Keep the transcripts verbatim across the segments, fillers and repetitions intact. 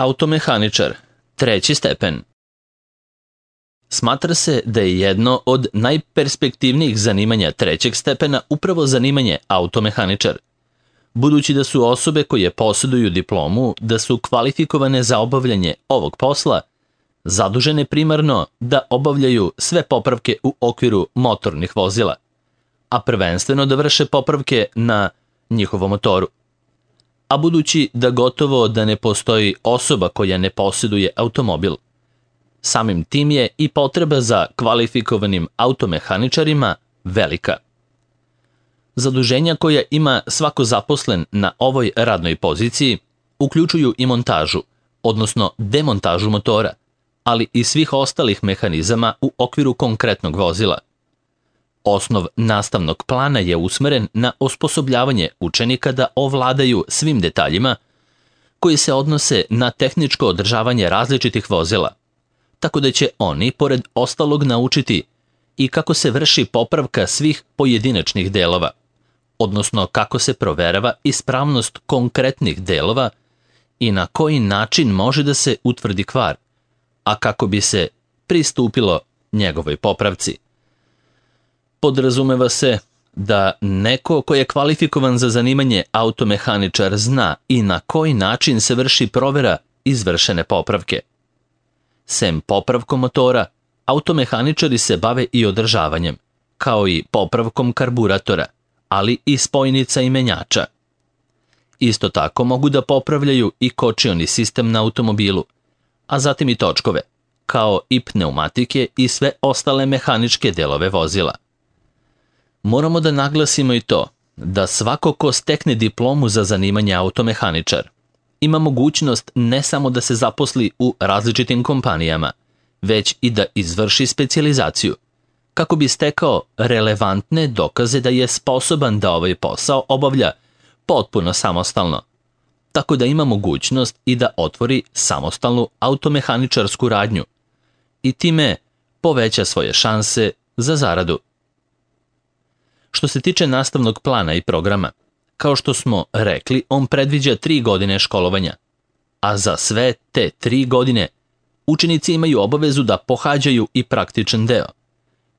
Automehaničar, treći stepen. Smatra se da je jedno od najperspektivnijih zanimanja trećeg stepena upravo zanimanje automehaničar. Budući da su osobe koje posjeduju diplomu da su kvalifikovane za obavljanje ovog posla, zadužene primarno da obavljaju sve popravke u okviru motornih vozila, a prvenstveno da vrše popravke na njihovom motoru. A budući da gotovo da ne postoji osoba koja ne posjeduje automobil, samim tim je i potreba za kvalifikovanim automehaničarima velika. Zaduženja koja ima svako zaposlen na ovoj radnoj poziciji uključuju i montažu, odnosno demontažu motora, ali i svih ostalih mehanizama u okviru konkretnog vozila. Osnov nastavnog plana je usmeren na osposobljavanje učenika da ovladaju svim detaljima koji se odnose na tehničko održavanje različitih vozila, tako da će oni, pored ostalog, naučiti i kako se vrši popravka svih pojedinačnih delova, odnosno kako se proverava ispravnost konkretnih delova i na koji način može da se utvrdi kvar, a kako bi se pristupilo njegovoj popravci. Podrazumeva se da neko ko je kvalifikovan za zanimanje automehaničar zna i na koji način se vrši provera izvršene popravke. Sem popravkom motora, automehaničari se bave i održavanjem, kao i popravkom karburatora, ali i spojnica i menjača. Isto tako mogu da popravljaju i kočioni sistem na automobilu, a zatim i točkove, kao i pneumatike i sve ostale mehaničke delove vozila. Moramo da naglasimo i to da svako ko stekne diplomu za zanimanje automehaničar ima mogućnost ne samo da se zaposli u različitim kompanijama, već i da izvrši specijalizaciju, kako bi stekao relevantne dokaze da je sposoban da ovaj posao obavlja potpuno samostalno, tako da ima mogućnost i da otvori samostalnu automehaničarsku radnju i time poveća svoje šanse za zaradu. Što se tiče nastavnog plana i programa, kao što smo rekli, on predviđa tri godine školovanja, a za sve te tri godine učenici imaju obavezu da pohađaju i praktičan deo,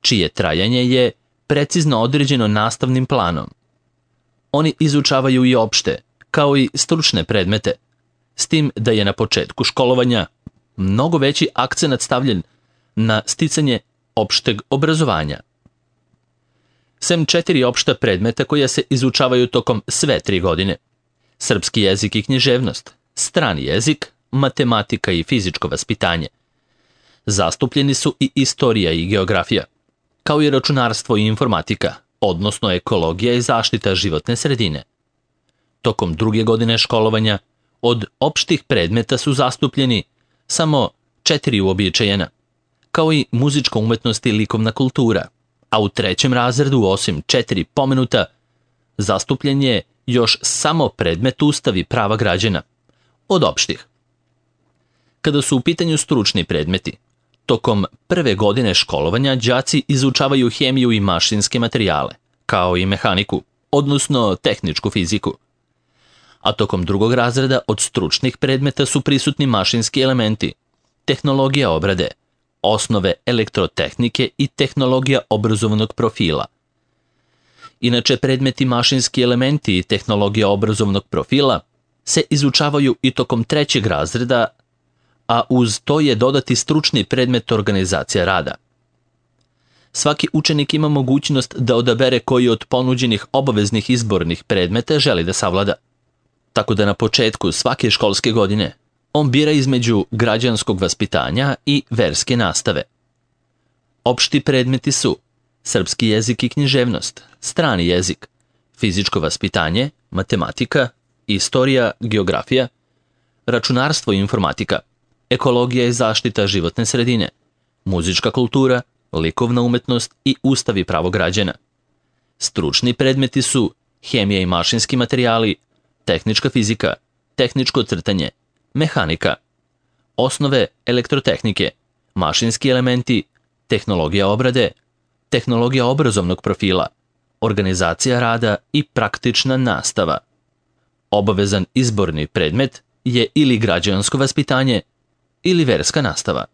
čije trajanje je precizno određeno nastavnim planom. Oni izučavaju i opšte, kao i stručne predmete, s tim da je na početku školovanja mnogo veći akcenat stavljen na sticanje opšteg obrazovanja. Sem četiri opšta predmeta koja se izučavaju tokom sve tri godine: srpski jezik i književnost, strani jezik, matematika i fizičko vaspitanje. Zastupljeni su i istorija i geografija, kao i računarstvo i informatika, odnosno ekologija i zaštita životne sredine. Tokom druge godine školovanja od opštih predmeta su zastupljeni samo četiri uobičajena, kao i muzička umetnost i likovna kultura, a u trećem razredu, osim četiri pomenuta, zastupljen je još samo predmet Ustav i prava građana, od opštih. Kada su u pitanju stručni predmeti, tokom prve godine školovanja đaci izučavaju hemiju i mašinske materijale, kao i mehaniku, odnosno tehničku fiziku. A tokom drugog razreda od stručnih predmeta su prisutni mašinski elementi, tehnologija obrade, osnove elektrotehnike i tehnologija obrazovnog profila. Inače, predmeti mašinski elementi i tehnologija obrazovnog profila se izučavaju i tokom trećeg razreda, a uz to je dodati stručni predmet organizacija rada. Svaki učenik ima mogućnost da odabere koji od ponuđenih obaveznih izbornih predmeta želi da savlada. Tako da na početku svake školske godine on bira između građanskog vaspitanja i verske nastave. Opšti predmeti su srpski jezik i književnost, strani jezik, fizičko vaspitanje, matematika, istorija, geografija, računarstvo i informatika, ekologija i zaštita životne sredine, muzička kultura, likovna umetnost i Ustav i pravo građana. Stručni predmeti su hemija i mašinski materijali, tehnička fizika, tehničko crtanje, mehanika, osnove elektrotehnike, mašinski elementi, tehnologija obrade, tehnologija obrazovnog profila, organizacija rada i praktična nastava. Obavezan izborni predmet je ili građansko vaspitanje ili verska nastava.